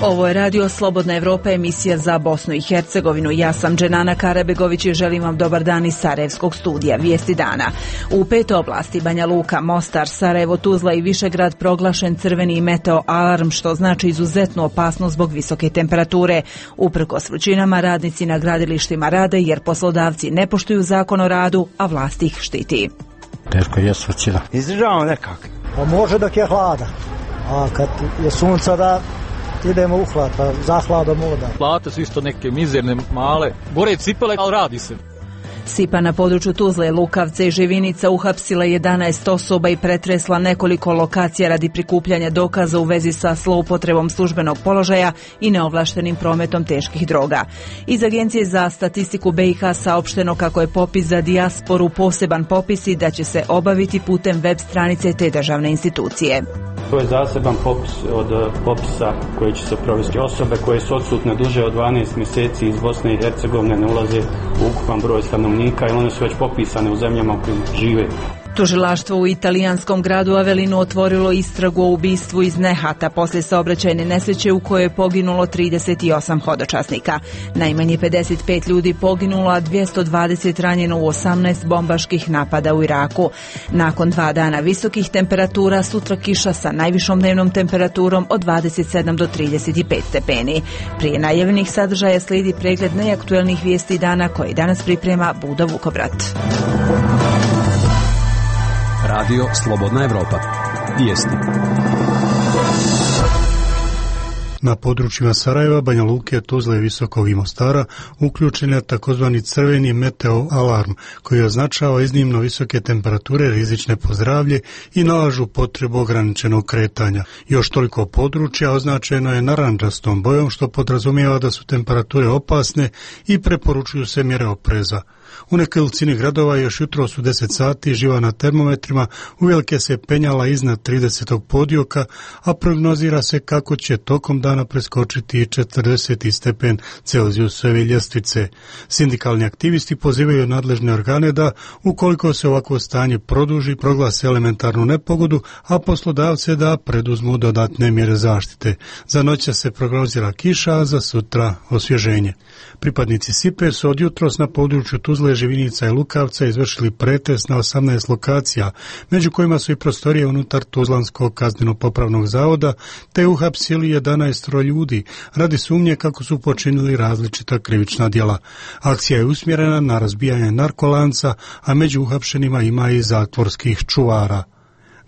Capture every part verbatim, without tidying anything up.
Ovo je Radio Slobodna Evropa, emisija za Bosnu i Hercegovinu. Ja sam Dženana Karabegović i želim vam dobar dan iz Sarajevskog studija. Vijesti dana. U pet oblasti Banja Luka, Mostar, Sarajevo, Tuzla i Višegrad proglašen crveni meteo alarm, što znači izuzetnu opasnost zbog visoke temperature. Uprkos vrućinama, radnici na gradilištima rade jer poslodavci ne poštuju zakon o radu, a vlast ih štiti. Teško je svrćina. Izdržavamo nekako. Pa može dok je hlada, a kad je sunca da idemo u hlad, pa za hladom voda. Plate su isto neke mizerne, male. Gore cipele, ali radi se. Sipa na području Tuzle, Lukavca i Živinica uhapsila jedanaest osoba i pretresla nekoliko lokacija radi prikupljanja dokaza u vezi sa zloupotrebom službenog položaja i neovlaštenim prometom teških droga. Iz Agencije za statistiku B i H saopšteno kako je popis za dijasporu poseban popis i da će se obaviti putem web stranice te državne institucije. To je zaseban popis od popisa koji će se provesti. Osobe koje su odsutne duže od dvanaest mjeseci iz Bosne i Hercegovine ne ulaze u ukupan broj stanovnika i one su već popisane u zemljama u kojima žive. Tužilaštvo u italijanskom gradu Avelinu otvorilo istragu o ubistvu iz nehata poslije saobraćajne nesreće u kojoj je poginulo trideset osam hodočasnika. Najmanje pedeset pet ljudi poginulo, a dvjesto dvadeset ranjeno u osamnaest bombaških napada u Iraku. Nakon dva dana visokih temperatura, sutra kiša sa najvišom dnevnom temperaturom od dvadeset sedam do trideset pet stepeni. Prije najavljenih sadržaja slijedi pregled najaktuelnijih vijesti dana koji danas priprema Buda Vukobrat. Radio Slobodna Evropa. Vijesti. Na područjima Sarajeva, Banja Luke, Tuzle, Visokog i Mostara uključen je takozvani crveni meteo alarm koji označava iznimno visoke temperature rizične po zdravlje i nalažu potrebu ograničenog kretanja. Još toliko područja označeno je narandžastom bojom, što podrazumijeva da su temperature opasne i preporučuju se mjere opreza. U nekolicini gradova još jutro su deset sati živa na termometrima uvelike se penjala iznad tridesetog podioka, a prognozira se kako će tokom dana preskočiti i četrdeset stepen Celzijusove ljestvice. Sindikalni aktivisti pozivaju nadležne organe da, ukoliko se ovakvo stanje produži, proglase elementarnu nepogodu, a poslodavce da preduzmu dodatne mjere zaštite. Za noć se prognozira kiša, a za sutra osvježenje. Pripadnici Sipe su od jutros na području Tuzle, Živinica i Lukavca izvršili pretres na osamnaest lokacija, među kojima su i prostorije unutar Tuzlanskog kazneno-popravnog zavoda, te uhapsili jedanaest ljudi radi sumnje kako su počinili različita krivična djela. Akcija je usmjerena na razbijanje narkolanca, a među uhapšenima ima i zatvorskih čuvara.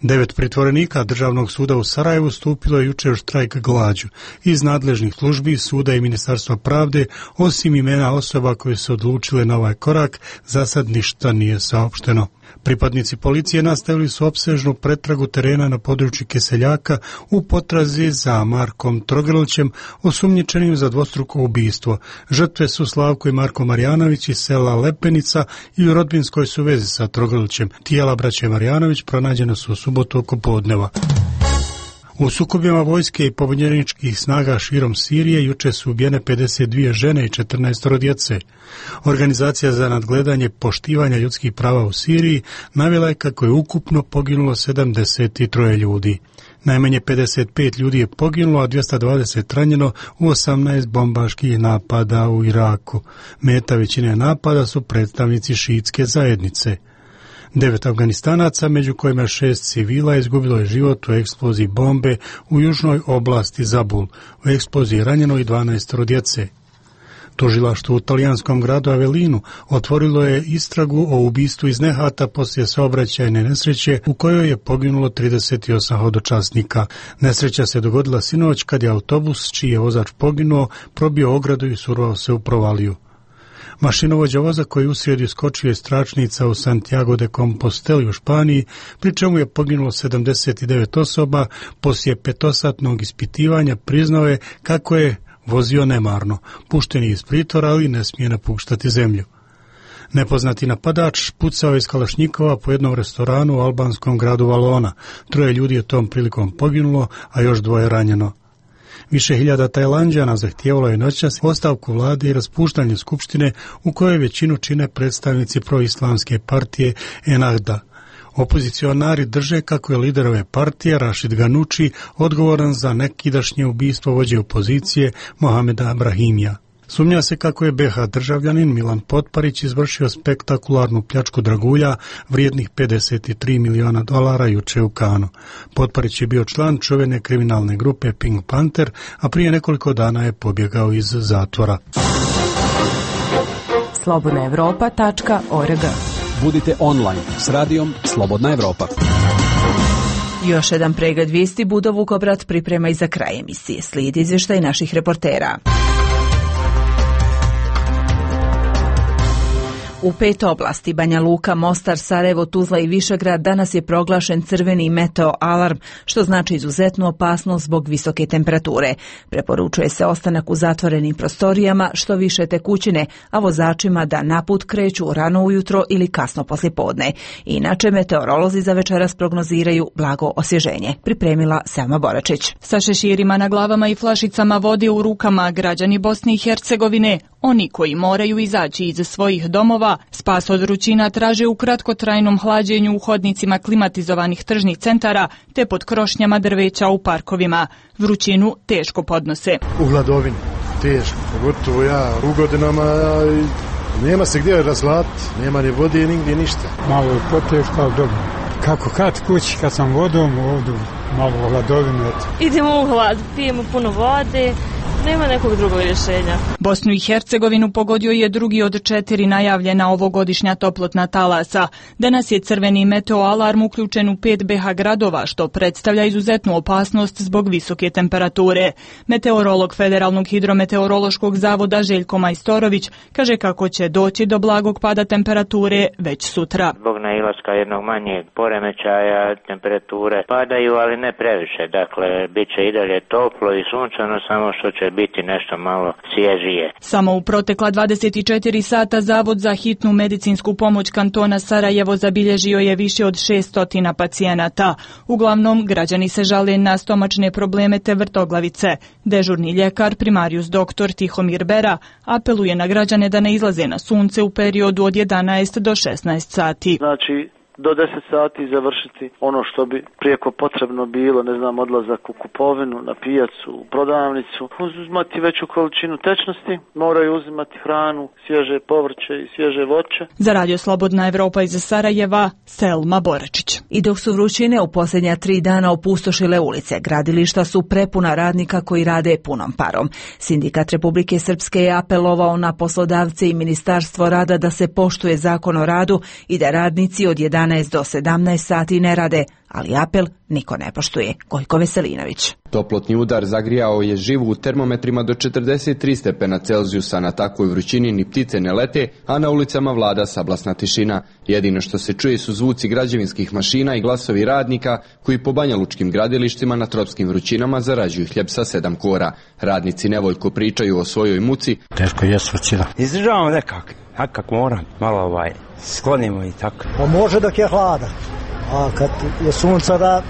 Devet pritvorenika Državnog suda u Sarajevu stupilo je jučer u štrajk glađu. Iz nadležnih službi, suda i Ministarstva pravde, osim imena osoba koje su odlučile na ovaj korak, za sad ništa nije saopšteno. Pripadnici policije nastavili su opsežnu pretragu terena na području Keseljaka u potrazi za Markom Trogrlićem, osumnjičenim za dvostruko ubistvo. Žrtve su Slavko i Marko Marjanović iz sela Lepenica i u rodbinskoj su vezi sa Trogrlićem. Tijela braće Marjanović pronađena su u subotu oko podneva. U sukobima vojske i pobunjeničkih snaga širom Sirije juče su ubijene pedeset dvije žene i četrnaest djece. Organizacija za nadgledanje poštivanja ljudskih prava u Siriji navela je kako je ukupno poginulo sedamdeset tri ljudi. Najmanje pedeset pet ljudi je poginulo, a dvjesto dvadeset ranjeno u osamnaest bombaških napada u Iraku. Meta većine napada su predstavnici šiitske zajednice. Devet Afganistanaca, među kojima šest civila, izgubilo je život u eksploziji bombe u južnoj oblasti Zabul. U eksploziji ranjeno i dvanaest djece. Tužilaštvo u talijanskom gradu Avelinu otvorilo je istragu o ubistvu iz nehata poslije saobraćajne nesreće u kojoj je poginulo trideset osam hodočasnika. Nesreća se dogodila sinoć kad je autobus, čiji je vozač poginuo, probio ogradu i survao se u provaliju. Mašinovođa voza koji usred iskočio iz tračnica u Santiago de Compostela u Španiji, pri čemu je poginulo sedamdeset devet osoba, poslije petosatnog ispitivanja priznao je kako je vozio nemarno, pušten je iz pritvora, ali ne smije napuštati zemlju. Nepoznati napadač pucao iz kalašnjikova po jednom restoranu u albanskom gradu Valona. Troje ljudi je tom prilikom poginulo, a još dvoje ranjeno. Više hiljada Tajlanđana zahtijevalo je noćas ostavku vlade i raspuštanje skupštine u kojoj većinu čine predstavnici proislamske partije Ennahda. Opozicionari drže kako je lider ove partije, Rašid Ganuči, odgovoran za nekidašnje ubistvo vođe opozicije Mohameda Brahimija. Sumnja se kako je be ha državljanin Milan Potparić izvršio spektakularnu pljačku dragulja vrijednih pedeset tri miliona dolara juče u Kanu. Potparić je bio član čuvene kriminalne grupe Pink Panther, a prije nekoliko dana je pobjegao iz zatvora. slobodna evropa tačka org. Budite online s radijom Slobodna Evropa. Još jedan pregled vijesti Budo Vukobrat priprema i za kraj emisije. Slijedi izvještaj naših reportera. U pet oblasti Banja Luka, Mostar, Sarajevo, Tuzla i Višegrad danas je proglašen crveni meteo alarm, što znači izuzetnu opasnost zbog visoke temperature. Preporučuje se ostanak u zatvorenim prostorijama, što više tekućine, a vozačima da na put kreću rano ujutro ili kasno poslijepodne. Inače, meteorolozi za večeras prognoziraju blago osvježenje. Pripremila Selma Boračić. Sa šeširima na glavama i flašicama vode u rukama građani Bosne i Hercegovine, oni koji moraju izaći iz svojih domova, spas od vrućina traže u kratkotrajnom hlađenju u hodnicima klimatizovanih tržnih centara te pod krošnjama drveća u parkovima. Vrućinu teško podnose. U hladovini, teško, pogotovo ja u godinama i nema se gdje razvlatiti, nema ni vode, nigdje ništa. Malo je poteško, ali dobro. Kako kad kući, kad sam vodom, ovdje malo u hladovini. Idemo u hlad, pijemo puno vode. Nema nekog drugog rješenja. Bosnu i Hercegovinu pogodio je drugi od četiri najavljena ovogodišnja toplotna talasa. Danas je crveni meteo alarm uključen u pet be ha gradova, što predstavlja izuzetnu opasnost zbog visoke temperature. Meteorolog Federalnog hidrometeorološkog zavoda Željko Majstorović kaže kako će doći do blagog pada temperature već sutra. Zbog nailaska jednog manjeg poremećaja temperature padaju, ali ne previše. Dakle, bit će i dalje toplo i sunčano, samo što će biti nešto malo svježije. Samo u protekla dvadeset četiri sata Zavod za hitnu medicinsku pomoć kantona Sarajevo zabilježio je više od šesto pacijenata. Uglavnom, građani se žale na stomačne probleme te vrtoglavice. Dežurni ljekar, primarijus doktor Tihomir Bera, apeluje na građane da ne izlaze na sunce u periodu od jedanaest do šesnaest sati. Znači, do deset sati završiti ono što bi prijeko potrebno bilo, ne znam, odlazak u kupovinu, na pijacu, u prodavnicu, uzimati veću količinu tečnosti, moraju uzimati hranu, svježe povrće i svježe voće. Za Radio Slobodna Evropa iz Sarajeva, Selma Boračić. I dok su vrućine u posljednja tri dana opustošile ulice, gradilišta su prepuna radnika koji rade punom parom. Sindikat Republike Srpske je apelovao na poslodavce i Ministarstvo rada da se poštuje zakon o radu i da radnici od jedanaest do sedamnaest sati ne rade, ali apel niko ne poštuje. Gojko Veselinović. Toplotni udar zagrijao je živu u termometrima do četrdeset tri stepena Celzijusa. Na takvoj vrućini ni ptice ne lete, a na ulicama vlada sablasna tišina. Jedino što se čuje su zvuci građevinskih mašina i glasovi radnika koji po banjalučkim gradilištima na tropskim vrućinama zarađuju hljeb sa sedam kora. Radnici nevoljko pričaju o svojoj muci. Teško je svućina. Izdržavamo nekak, nekak moram, malo ovaj, sklonimo i tako. Pa može dok je hlada, a kad je sunca da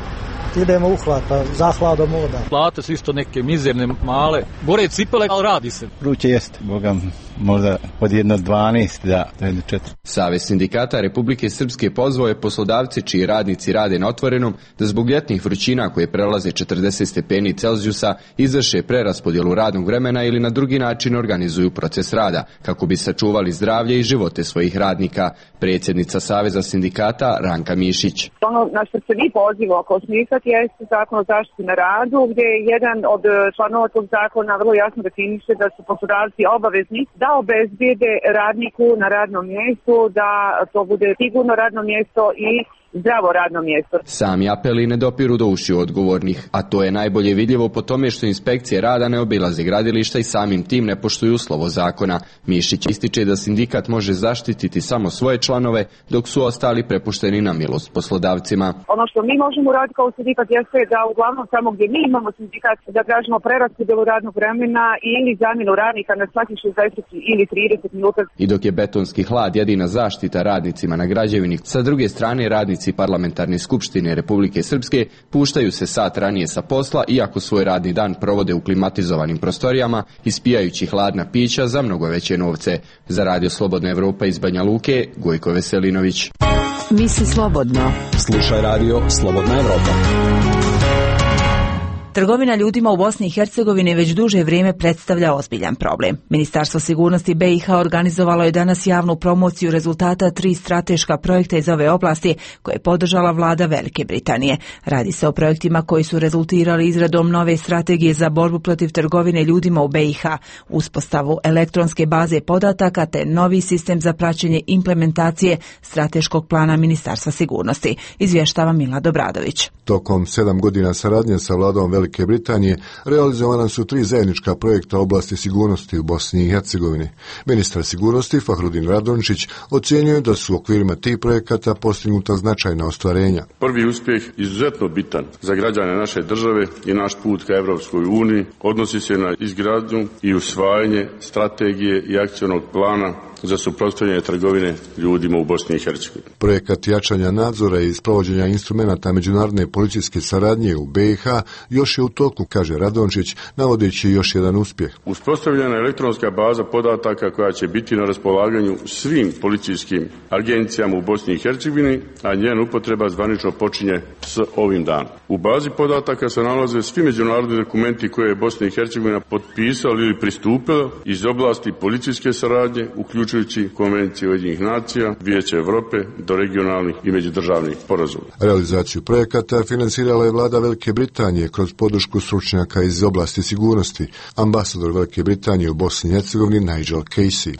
idemo u hlad, pa za hladom voda. Plate su isto neke mizerne, male, gore cipele, ali radi se. Vruće jeste, bogam, možda od jedno dvanaest do jedno četiri. Savez sindikata Republike Srpske pozvao je poslodavci čiji radnici rade na otvorenom da zbog ljetnih vrućina koje prelaze četrdeset stepeni Celzijusa izvrše preraspodjelu radnog vremena ili na drugi način organizuju proces rada kako bi sačuvali zdravlje i živote svojih radnika. Predsjednica Saveza sindikata Ranka Mišić. Ono na što se vi pozivamo kao sindikat jeste zakon o zaštiti na radu, gdje je jedan od članova tog zakona vrlo jasno definiše da su poslodavci obavezni da obezbijede radniku na radnom mjestu, da to bude sigurno radno mjesto i zdravo radno mjesto. Sami apeli ne dopiru do ušiju odgovornih, a to je najbolje vidljivo po tome što inspekcije rada ne obilaze gradilišta i samim tim ne poštuju slovo zakona. Mišić ističe da sindikat može zaštititi samo svoje članove, dok su ostali prepušteni na milost poslodavcima. Ono što mi možemo raditi kao sindikat jeste da uglavnom samo gdje mi imamo sindikat da tražimo preraspodjelu radnog vremena ili zamjenu radnika na svaki šezdeset ili trideset minuta. I dok je betonski hlad jedina zaštita radnicima na građevini, sa druge strane radnici Parlamentarne skupštine Republike Srpske puštaju se sat ranije sa posla, iako svoj radni dan provode u klimatizovanim prostorijama, ispijajući hladna pića za mnogo veće novce. Za Radio Slobodna Evropa iz Banja Luke, Gojko Veselinović. Misli slobodno. Slušaj radio Slobodna Evropa. Trgovina ljudima u Bosni i Hercegovini već duže vrijeme predstavlja ozbiljan problem. Ministarstvo sigurnosti B i H organizovalo je danas javnu promociju rezultata tri strateška projekta iz ove oblasti koje je podržala vlada Velike Britanije. Radi se o projektima koji su rezultirali izradom nove strategije za borbu protiv trgovine ljudima u B i H, uspostavu elektronske baze podataka te novi sistem za praćenje implementacije strateškog plana Ministarstva sigurnosti. Izvještava Milad Obradović. Tokom sedam godina saradnje sa vladom Velike Britanije realizovana su tri zajednička projekta oblasti sigurnosti u Bosni i Hercegovini. Ministar sigurnosti Fahrudin Radončić ocjenjuje da su u okvirima tih projekata postignuta značajna ostvarenja. Prvi uspjeh, izuzetno bitan za građane naše države i naš put ka Evropskoj uniji, odnosi se na izgradnju i usvajanje strategije i akcionog plana za suprotstavljanje trgovine ljudima u Bosni i Hercegovini. Projekat jačanja nadzora i sprovođenja instrumenata međunarodne policijske saradnje u B i H još je u toku, kaže Radončić, navodeći još jedan uspjeh. Uspostavljena je elektronska baza podataka koja će biti na raspolaganju svim policijskim agencijama u Bosni i Hercegovini, a njena upotreba zvanično počinje s ovim danom. U bazi podataka se nalaze svi međunarodni dokumenti koje je Bosna i Hercegovina potpisala ili pristupila iz oblasti policijske saradnje, uključujući Konvencije Ujedinjenih nacija, Vijeća Europe do regionalnih i međudržavnih sporazuma. Realizaciju projekata finansirala je vlada Velike Britanije kroz podršku stručnjaka iz oblasti sigurnosti. Ambasador Velike Britanije u Bosni i Hercegovini Nigel Casey.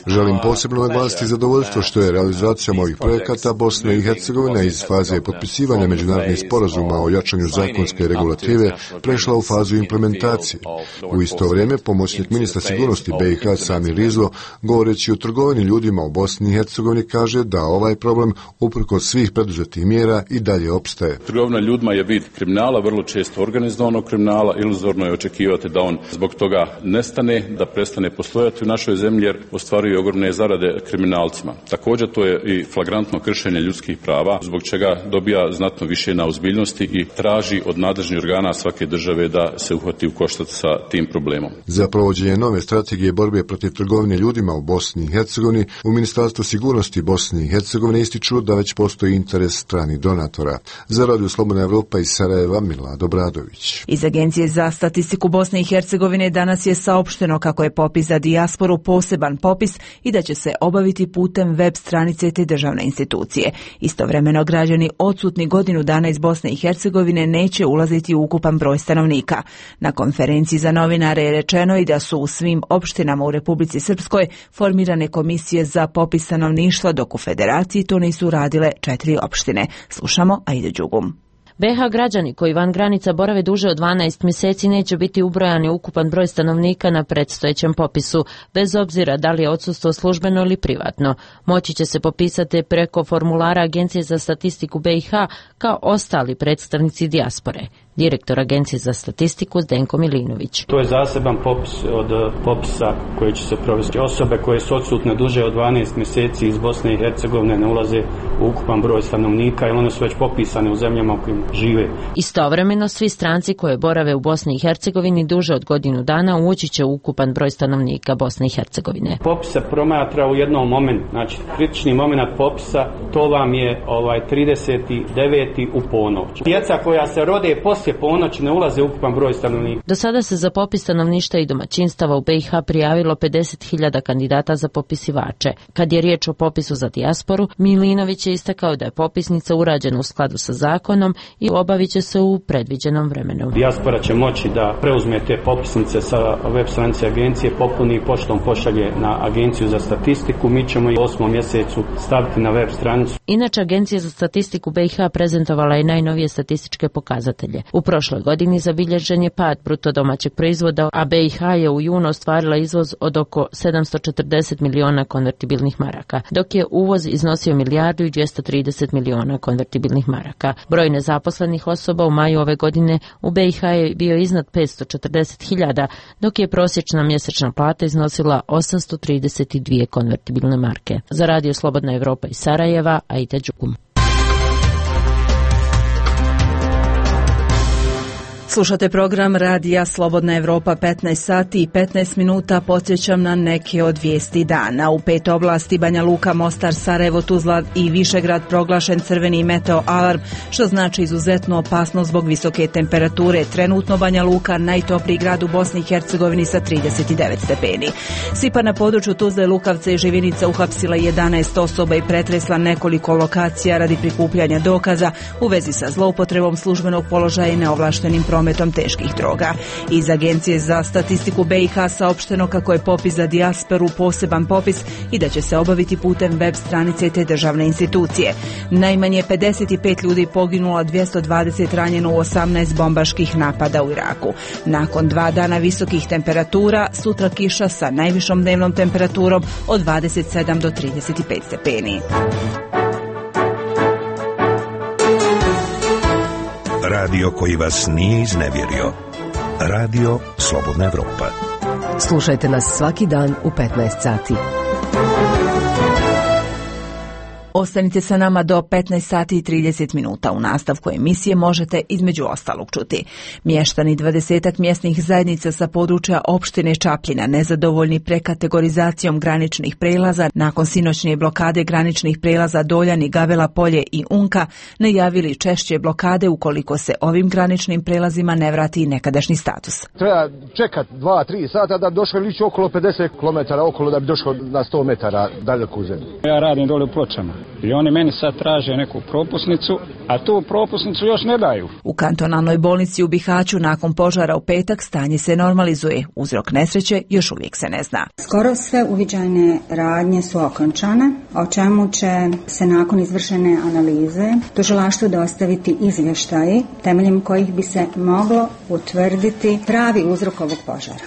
Želim posebno naglasiti zadovoljstvo što je realizacijom ovih projekata Bosna i Hercegovina iz faze potpisivanja međunarodnih sporazuma o jačanju zakonske regulative prešla u fazu implementacije. U isto vrijeme pomoćnik ministra sigurnosti B i H Sami Rizlo, govoreći o trgovini ljudima u Bosni i Hercegovini, kaže da ovaj problem uprkos svih preduzetih mjera i dalje opstaje. Trgovina ljudima je vid kriminala, vrlo često organizovanog kriminala, iluzorno je očekivati da on zbog toga nestane, da prestane postojati u našoj zemlji jer ostvaruje ogromne zarade kriminalcima. Također to je i flagrantno kršenje ljudskih prava, zbog čega dobija znatno više na ozbiljnosti i traži od nadležnih organa svake države da se uhvati u koštac sa tim problemom. Za provođenje nove strategije borbe protiv trgovine ljudima u Bosni i Hercegovini u Ministarstvu sigurnosti Bosne i Hercegovine ističu da već postoji interes stranih donatora. Za Radio Slobodna Evropa iz Sarajeva, Milad Obradović. Iz Agencije za statistiku Bosne i Hercegovine danas je saopšteno kako je popis za dijasporu poseban popis i da će se obaviti putem web stranice te državne institucije. Istovremeno građani odsutni godinu dana iz Bosne i Hercegovine neće ulaziti u ukupan broj stanovnika. Na konferenciji za novinare je rečeno i da su u svim opštinama u Republici Srpskoj formirane komisije za popis stanovništva, dok u Federaciji to nisu radile četiri opštine. Slušamo Aida Đugum. B H građani koji van granica borave duže od dvanaest mjeseci neće biti ubrojani ukupan broj stanovnika na predstojećem popisu, bez obzira da li je odsustvo službeno ili privatno. Moći će se popisati preko formulara Agencije za statistiku B i H kao ostali predstavnici dijaspore. Direktor Agencije za statistiku Zdenko Milinović. To je zaseban popis od popisa koji će se provesti. Osobe koje su odsutne duže od dvanaest mjeseci iz Bosne i Hercegovine ne ulaze u ukupan broj stanovnika, jer one su već popisane u zemljama u kojim žive. Istovremeno svi stranci koje borave u Bosni i Hercegovini duže od godinu dana ući će u ukupan broj stanovnika Bosne i Hercegovine. Popis se promatra u jednom momentu, znači kritični moment popisa, to vam je ovaj trideseti deveti u ponoć. Djeca koja se rode poslije ponoći ne ulaze u ukupan broj stanovnika. Do sada se za popis stanovništva i domaćinstava u B i H prijavilo pedeset hiljada kandidata za popisivače. Kad je riječ o popisu za dijasporu, Milinović je istakao da je popisnica urađena u skladu sa zakonom i obavit će se u predviđenom vremenu. Dijaspora će moći da preuzme te popisnice sa web stranice agencije, popuni i poštom pošalje na Agenciju za statistiku. Mi ćemo i u osmom mjesecu staviti na web stranicu. Inače, Agencija za statistiku B i H prezentovala je najnovije statističke pokazatelje. U prošloj godini zabilježen je pad bruto domaćeg proizvoda, a B i H je u junu ostvarila izvoz od oko sedamsto četrdeset miliona konvertibilnih maraka, dok je uvoz iznosio milijardu i dvjesto trideset miliona konvertibilnih maraka. Broj nezaposlenih osoba u maju ove godine u B i H je bio iznad petsto četrdeset hiljada, dok je prosječna mjesečna plata iznosila osamsto trideset dvije konvertibilne marke. Za Radio Slobodna Evropa iz Sarajeva, Aida Đugum. Slušate program Radija Slobodna Evropa, petnaest sati i petnaest minuta. Podsjećam na neke od vijesti dana. U pet oblasti Banja Luka, Mostar, Sarajevo, Tuzla i Višegrad proglašen crveni meteo alarm, što znači izuzetnu opasnost zbog visoke temperature. Trenutno Banja Luka najtopliji grad u Bosni i Hercegovini sa trideset devet stepeni. Sipa na području Tuzle, Lukavca i Živinica uhapsila jedanaest osoba i pretresla nekoliko lokacija radi prikupljanja dokaza u vezi sa zloupotrebom službenog položaja i neovlaštenim prometom teških droga. Iz Agencije za statistiku B i H saopšteno kako je popis za dijasporu poseban popis i da će se obaviti putem web stranice te državne institucije. Najmanje pedeset pet ljudi poginulo, dvjesto dvadeset ranjeno u osamnaest bombaških napada u Iraku. Nakon dva dana visokih temperatura, sutra kiša sa najvišom dnevnom temperaturom od dvadeset sedam do trideset pet stepeni. Radio koji vas nije iznevjerio. Radio Slobodna Evropa. Slušajte nas svaki dan u petnaest sati. Ostanite sa nama do petnaest sati i trideset minuta. U nastavku emisije možete između ostalog čuti. Mještani dvadesetak mjesnih zajednica sa područja opštine Čapljina nezadovoljni prekategorizacijom graničnih prelaza nakon sinoćnje blokade graničnih prelaza Doljani, Gavela Polje i Unka najavili češće blokade ukoliko se ovim graničnim prelazima ne vrati nekadašnji status. Treba čekat dva tri sata da bi došao ili ići okolo pedeset kilometara okolo da bi došao na sto metara daleko u zemlju. Ja radim dole u Pločama. I oni meni sad traže neku propusnicu, a tu propusnicu još ne daju. U kantonalnoj bolnici u Bihaću nakon požara u petak stanje se normalizuje. Uzrok nesreće još uvijek se ne zna. Skoro sve uviđajne radnje su okončane, o čemu će se nakon izvršene analize tužilaštvu dostaviti izvještaji temeljem kojih bi se moglo utvrditi pravi uzrok ovog požara.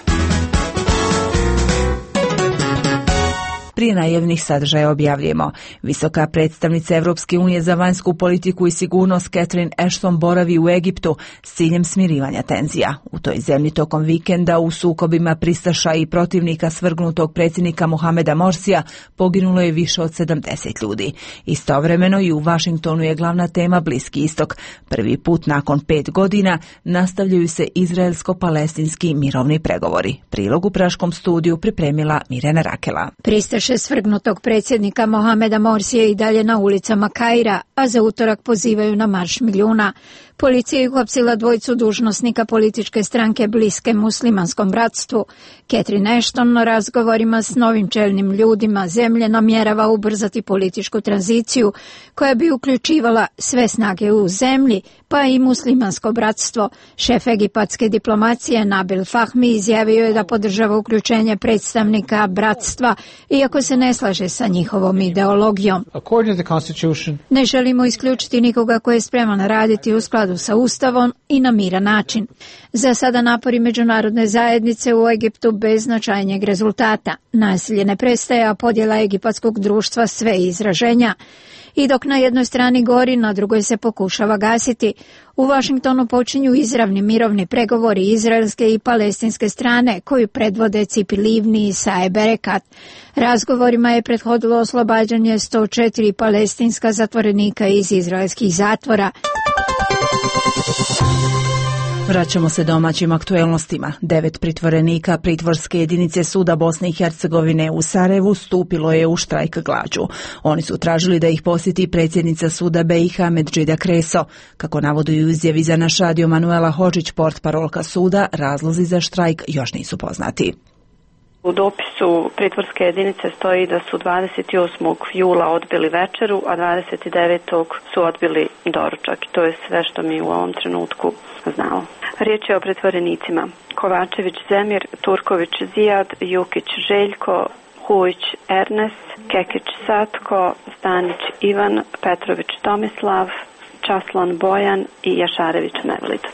Prije najavljenih sadržaja objavljujemo. Visoka predstavnica Evropske unije za vanjsku politiku i sigurnost Catherine Ashton boravi u Egiptu s ciljem smirivanja tenzija. U toj zemlji tokom vikenda u sukobima pristaša i protivnika svrgnutog predsjednika Mohameda Morsija poginulo je više od sedamdeset ljudi. Istovremeno i u Vašingtonu je glavna tema Bliski istok. Prvi put nakon pet godina nastavljaju se izraelsko-palestinski mirovni pregovori. Prilog u Praškom studiju pripremila Mirjana Rakela. Pristaš svrgnutog predsjednika Mohameda Morsije i dalje na ulicama Kaira, a za utorak pozivaju na marš milijuna. Policija je uhapsila dvojicu dužnosnika političke stranke bliske muslimanskom bratstvu. Catherine Ashton na razgovorima s novim čelnim ljudima zemlje namjerava ubrzati političku tranziciju koja bi uključivala sve snage u zemlji, pa i muslimansko bratstvo. Šef egipatske diplomacije Nabil Fahmi izjavio je da podržava uključenje predstavnika bratstva, iako se ne slaže sa njihovom ideologijom. Ne želimo isključiti nikoga ko je spreman raditi u skladu sa Ustavom i na miran način. Za sada napori međunarodne zajednice u Egiptu bez značajnijeg rezultata. Nasilje ne prestaje, a podjela egipatskog društva sve izraženja. I dok na jednoj strani gori, na drugoj se pokušava gasiti. U Vašingtonu počinju izravni mirovni pregovori izraelske i palestinske strane, koju predvode Cipi Livni i Saeb Erekat. Razgovorima je prethodilo oslobađanje sto četiri palestinska zatvorenika iz izraelskih zatvora. Vraćamo se domaćim aktuelnostima. Devet pritvorenika pritvorske jedinice Suda Bosne i Hercegovine u Sarajevu stupilo je u štrajk glađu. Oni su tražili da ih posjeti predsjednica Suda B i H Medžida Kreso. Kako navodi u izjavi za naš radio Manuela Hodžić, portparolka suda, razlozi za štrajk još nisu poznati. U dopisu pritvorske jedinice stoji da su dvadeset osmog jula odbili večeru, a dvadeset devetog su odbili doručak. To je sve što mi u ovom trenutku znamo. Riječ je o pritvorenicima: Kovačević Zemir, Turković Zijad, Jukić Željko, Hujić Ernest, Kekić Satko, Stanić Ivan, Petrović Tomislav, Časlan Bojan i Jašarević Mevlid.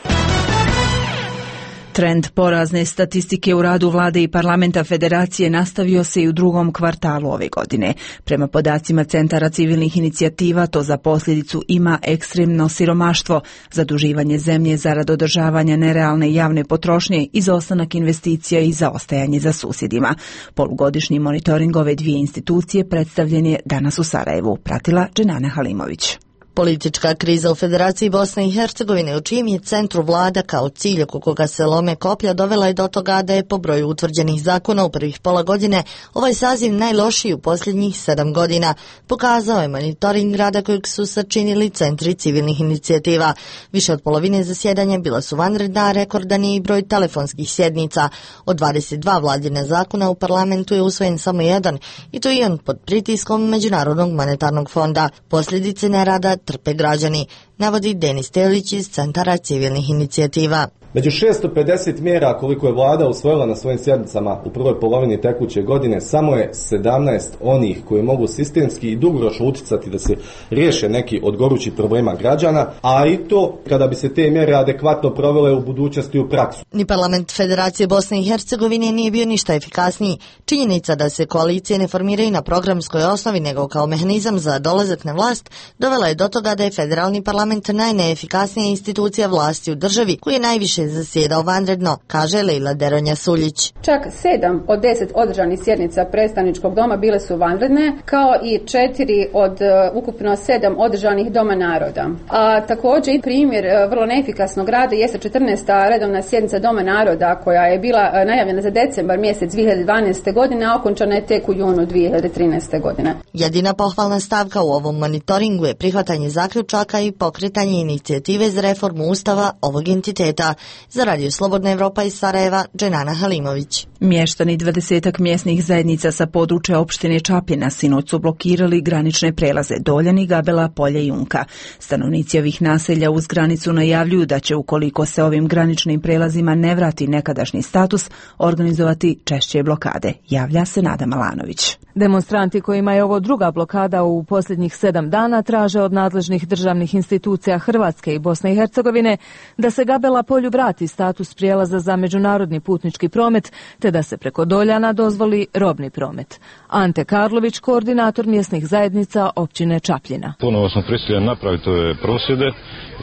Trend porazne statistike u radu vlade i parlamenta federacije nastavio se i u drugom kvartalu ove godine. Prema podacima Centara civilnih inicijativa, to za posljedicu ima ekstremno siromaštvo, zaduživanje zemlje zarad održavanja nerealne javne potrošnje, izostanak investicija i zaostajanje za susjedima. Polugodišnji monitoring ove dvije institucije predstavljen je danas u Sarajevu, pratila Dženana Halimović. Politička kriza u Federaciji Bosne i Hercegovine, u čijem je centru vlada kao cilj oko koga se lome koplja, dovela je do toga da je po broju utvrđenih zakona u prvih pola godine ovaj saziv najlošiji u posljednjih sedam godina, pokazao je monitoring rada kojeg su sačinili centri civilnih inicijativa. Više od polovine zasjedanja bila su vanredna, rekordan je i broj telefonskih sjednica. Od dvadeset dva vladine zakona u parlamentu je usvojen samo jedan, i to i on pod pritiskom Međunarodnog monetarnog fonda. Posljedice nerada trpe građani, navodi Denis Telić iz Centara civilnih inicijativa. Među šesto pedeset mjera koliko je vlada usvojila na svojim sjednicama u prvoj polovini tekuće godine, samo je sedamnaest onih koji mogu sistemski i dugoročno utjecati da se riješe neki od gorućih problema građana, a i to kada bi se te mjere adekvatno provele u budućnosti u praksu. Ni parlament Federacije Bosne i Hercegovine nije bio ništa efikasniji. Činjenica da se koalicije ne formiraju na programskoj osnovi nego kao mehanizam za dolazak na vlast dovela je do toga da je federalni parlament najneefikasnija institucija vlasti u državi, koji je najviše zasjedao vanredno, kaže Lejla Deronja Suljić. Čak sedam od deset održanih sjednica predstavničkog doma bile su vanredne, kao i četiri od uh, ukupno sedam održanih doma naroda. A također i primjer uh, vrlo neefikasnog rada jeste četrnaesta redovna sjednica Doma naroda, koja je bila uh, najavljena za decembar mjesec dvije hiljade dvanaeste. godine, a okončana je tek u junu dvije hiljade trinaeste. godine. Jedina pohvalna stavka u ovom monitoringu je prihvatanje zaključaka i pokretanje inicijative za reformu ustava ovog entiteta. Za Radio Slobodna Evropa iz Sarajeva, Dženana Halimović. Mještani dvadesetak mjesnih zajednica sa područja opštine Čapljina sinoć su blokirali granične prelaze Doljani, Gabela, Polje i Unka. Stanovnici ovih naselja uz granicu najavljuju da će, ukoliko se ovim graničnim prelazima ne vrati nekadašnji status, organizovati češće blokade. Javlja se Nada Malanović. Demonstranti kojima je ovo druga blokada u posljednjih sedam dana traže od nadležnih državnih institucija Hrvatske i Bosne i Hercegovine da se Gabela Polju vrati status prijelaza za međunarodni putnički promet, te da se preko Doljana dozvoli robni promet. Ante Karlović, koordinator mjesnih zajednica općine Čapljina. Ponovo smo prisiljeni napraviti ove prosvjede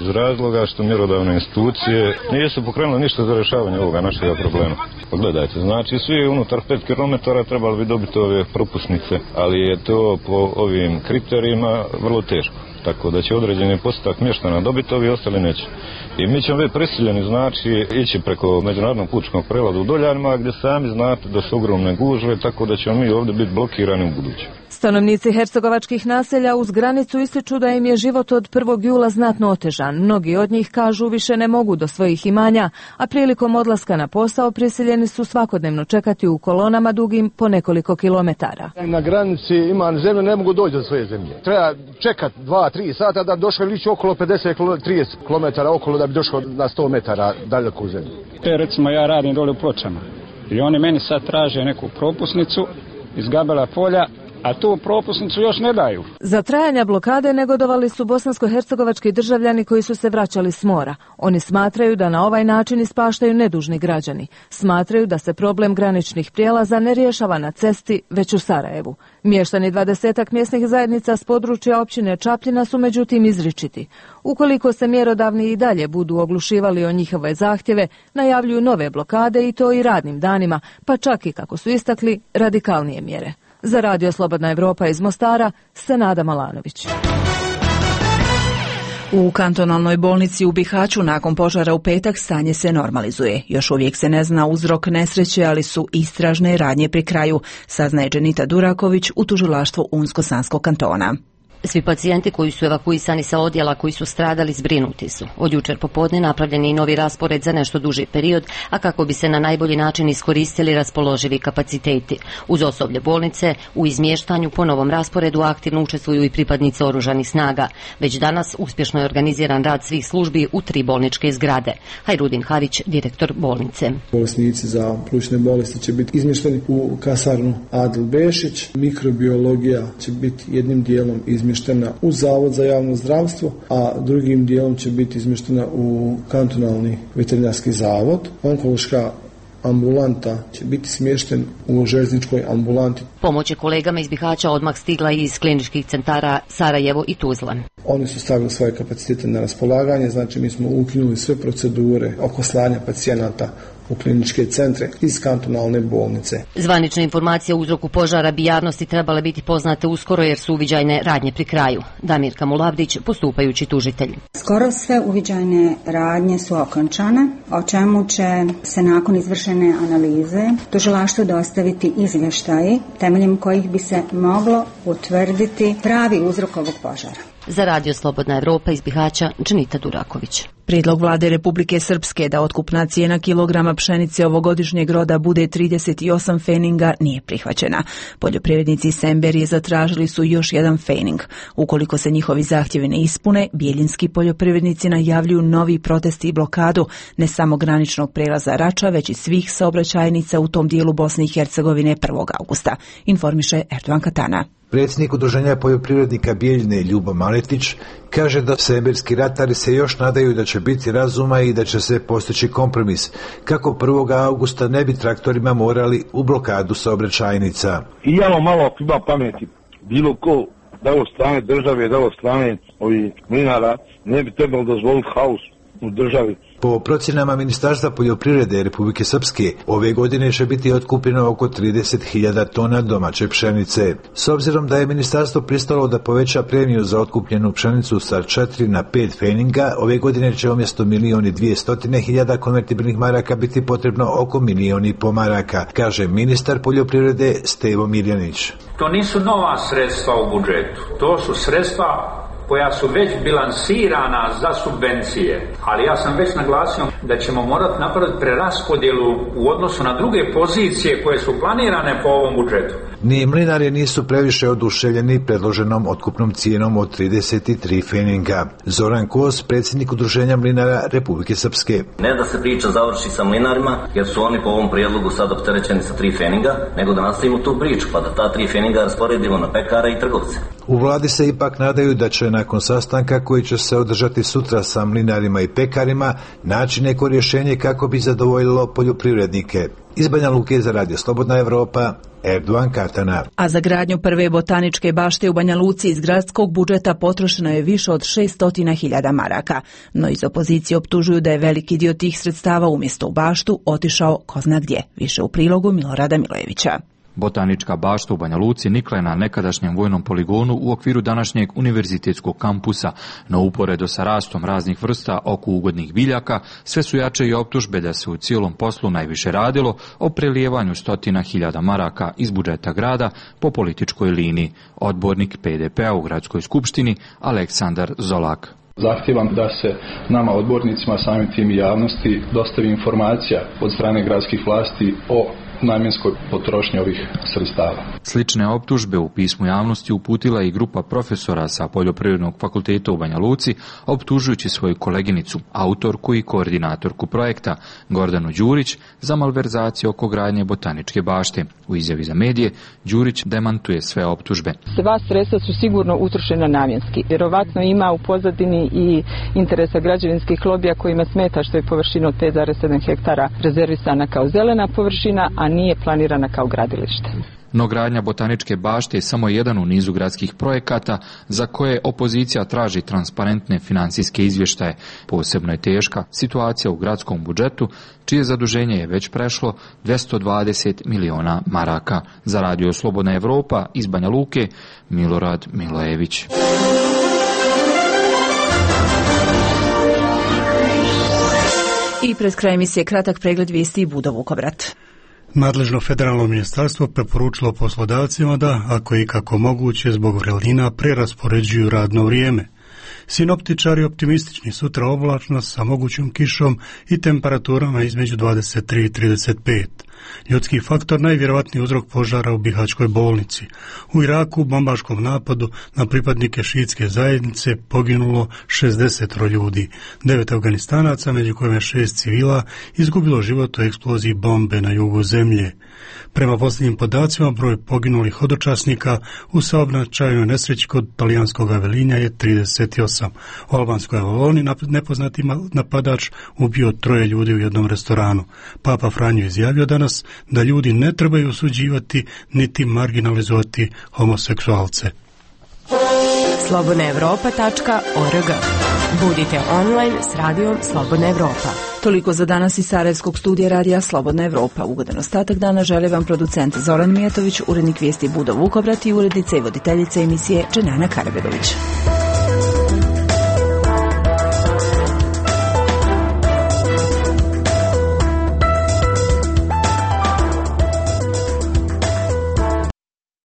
iz razloga što mjerodavne institucije nisu pokrenule ništa za rješavanje ovoga našega problema. Pogledajte, znači svi unutar pet kilometara trebali bi dobiti ove propusnice, ali je to po ovim kriterijima vrlo teško. Tako da će određeni postotak mještana dobiti, ovi ostali neće. I mi ćemo biti prisiljeni, znači, ići preko međunarodnog putničkog prelaza u Doljanima, gdje sami znate da su ogromne gužve, tako da ćemo mi ovdje biti blokirani u buduće. Stanovnici hercegovačkih naselja uz granicu ističu da im je život od prvog jula znatno otežan. Mnogi od njih kažu više ne mogu do svojih imanja, a prilikom odlaska na posao prisiljeni su svakodnevno čekati u kolonama dugim po nekoliko kilometara. Na granici ima zemlje, ne mogu doći do svoje zemlje. Treba čekati dva, tri sata da došli lići okolo pedeset do trideset kilometara okolo da bi došlo na sto metara daleko u zemlju. E, recimo ja radim dole u Pločama i oni meni sad traže neku propusnicu iz Gabela Polja, a tu propusnicu još ne daju. Za trajanja blokade negodovali su bosansko-hercegovački državljani koji su se vraćali s mora. Oni smatraju da na ovaj način ispaštaju nedužni građani. Smatraju da se problem graničnih prijelaza ne rješava na cesti, već u Sarajevu. Mještani dvadesetak mjesnih zajednica s područja općine Čapljina su međutim izričiti. Ukoliko se mjerodavni i dalje budu oglušivali o njihove zahtjeve, najavljuju nove blokade i to i radnim danima, pa čak i, kako su istakli, radikalnije mjere. Za Radio Slobodna Evropa iz Mostara, Senada Malanović. U kantonalnoj bolnici u Bihaću nakon požara u petak stanje se normalizuje. Još uvijek se ne zna uzrok nesreće, ali su istražne radnje pri kraju, saznaje Dženita Duraković u tužilaštvu Unsko-Sanskog kantona. Svi pacijenti koji su evakuisani sa odjela koji su stradali zbrinuti su. Od jučer popodne napravljen je i novi raspored za nešto duži period, a kako bi se na najbolji način iskoristili raspoloživi kapaciteti. Uz osoblje bolnice, u izmještanju po novom rasporedu aktivno učestvuju i pripadnici oružanih snaga. Već danas uspješno je organiziran rad svih službi u tri bolničke zgrade. Hajrudin Harić, direktor bolnice. Bolesnici za plućne bolesti će biti izmješteni u kasarnu Adil Bešić. Mikrobiologija će biti jednim dijelom izmještena u Zavod za javno zdravstvo, a drugim dijelom će biti izmještena u kantonalni veterinarski zavod. Onkološka ambulanta će biti smješten u željezničkoj ambulanti. Pomoć je kolegama iz Bihaća odmah stigla iz kliničkih centara Sarajevo i Tuzla. Oni su stavili svoje kapacitete na raspolaganje, znači mi smo ukinuli sve procedure oko slanja pacijenata u kliničke centre iz kantonalne bolnice. Zvanične informacije o uzroku požara bi javnosti trebale biti poznate uskoro jer su uviđajne radnje pri kraju. Damirka Mulavdić, postupajući tužitelj. Skoro sve uviđajne radnje su okončane, o čemu će se nakon izvršene analize tužilaštvu dostaviti izvještaji temeljem kojih bi se moglo utvrditi pravi uzrok ovog požara. Za Radio Slobodna Evropa iz Bihaća, Dženita Duraković. Prijedlog vlade Republike Srpske da otkupna cijena kilograma pšenice ovogodišnjeg roda bude trideset osam feninga nije prihvaćena. Poljoprivrednici Semberije zatražili su još jedan fening. Ukoliko se njihovi zahtjevi ne ispune, bijeljinski poljoprivrednici najavljuju novi protesti i blokadu ne samo graničnog prelaza Rača, već i svih saobraćajnica u tom dijelu Bosne i Hercegovine prvog avgusta, informiše Erdovan Katana. Predsjednik Udruženja poljoprivrednika Bijeljine Ljubo Maletić kaže da semberski ratari se još nadaju da će biti razuma i da će se postići kompromis, kako prvog avgusta ne bi traktorima morali u blokadu saobraćajnica. I jalo malo ako ima pameti, bilo ko da od strane države, da od strane ovih mlinara, ne bi trebalo dozvoliti haos u državi. Po procjenama Ministarstva poljoprivrede Republike Srpske, ove godine će biti otkupljeno oko trideset hiljada tona domaće pšenice. S obzirom da je ministarstvo pristalo da poveća premiju za otkupljenu pšenicu sa četiri na pet feninga, ove godine će umjesto milijon i dvije hiljada konvertibilnih maraka biti potrebno oko milijon i po maraka, kaže ministar poljoprivrede Stevo Mirjanić. To nisu nova sredstva u budžetu, to su sredstva koja su već bilansirana za subvencije, ali ja sam već naglasio da ćemo morati napraviti preraspodjelu u odnosu na druge pozicije koje su planirane po ovom budžetu. Ni mlinari nisu previše oduševljeni predloženom otkupnom cijenom od trideset tri feninga. Zoran Kos, predsjednik Udruženja mlinara Republike Srpske. Ne da se priča završi sa mlinarima, jer su oni po ovom prijedlogu sad opterećeni sa tri feninga, nego da nastavimo tu priču, pa da ta tri feninga rasporedimo na pekare i trgovce. U vladi se ipak nadaju da će nakon sastanka koji će se održati sutra sa mlinarima i pekarima naći neko rješenje kako bi zadovoljilo poljoprivrednike. Iz Banja Luke za Radio Slobodna Evropa, Erdovan Katana. A za gradnju prve botaničke bašte u Banja Luci iz gradskog budžeta potrošeno je više od šest hiljada maraka. No iz opozicije optužuju da je veliki dio tih sredstava umjesto u baštu otišao ko zna gdje. Više u prilogu Milorada Milojevića. Botanička bašta u Banja Luci nikla je na nekadašnjem vojnom poligonu u okviru današnjeg univerzitetskog kampusa, no uporedo sa rastom raznih vrsta oko ugodnih biljaka, sve su jače i optužbe da se u cijelom poslu najviše radilo o prelijevanju stotina hiljada maraka iz budžeta grada po političkoj liniji. Odbornik P D P-a u gradskoj skupštini Aleksandar Zolak. Zahtijevam da se nama odbornicima, samim tim i javnosti, dostavi informacija od strane gradskih vlasti o namjenskoj potrošnji ovih sredstava. Slične optužbe u pismu javnosti uputila i grupa profesora sa Poljoprivrednog fakulteta u Banja Luci, optužujući svoju koleginicu, autorku i koordinatorku projekta Gordanu Đurić za malverzaciju oko gradnje botaničke bašte. U izjavi za medije Đurić demantuje sve optužbe. Sva sredstva su sigurno utrošena namjenski. Vjerovatno ima u pozadini i interesa građevinskih lobija kojima smeta što je površina od pet zarez sedam hektara rezervisana kao zelena površina, a nije planirana kao gradilište. No gradnja botaničke bašte je samo jedan u nizu gradskih projekata za koje opozicija traži transparentne financijske izvještaje. Posebno je teška situacija u gradskom budžetu, čije zaduženje je već prešlo dvjesto dvadeset miliona maraka. Za Radio Slobodna Evropa iz Banja Luke, Milorad Milojević. I pred kraj emisije kratak pregled vijesti i Budo Vukovrat. Nadležno federalno ministarstvo preporučilo poslodavcima da, ako je kako moguće, zbog vrelina preraspoređuju radno vrijeme. Sinoptičari optimistični, sutra oblačnost sa mogućom kišom i temperaturama između dvadeset tri i trideset pet. Ljudski faktor najvjerojatniji uzrok požara u Bihaćkoj bolnici. U Iraku u bombaškom napadu na pripadnike šiitske zajednice poginulo šezdeset ljudi. Devet Afganistanaca, među kojima šest civila, izgubilo život u eksploziji bombe na jugu zemlje. Prema posljednjim podacima, broj poginulih hodočasnika u saobraćajnoj nesreći kod talijanskog Avelinja je trideset osam. U albanskoj Avaloni nepoznati napadač ubio troje ljudi u jednom restoranu. Papa Franjo izjavio danas da ljudi ne trebaju osuđivati niti marginalizovati homoseksualce. slobodna evropa tačka org. Budite online s radijom Slobodna Evropa. Toliko za danas iz Sarajevskog studija radija Slobodna Evropa. Ugodan ostatak dana žele vam producent Zoran Mijatović, urednik vijesti Budo Vukobrat i urednica i voditeljica emisije Dženana Karabegović.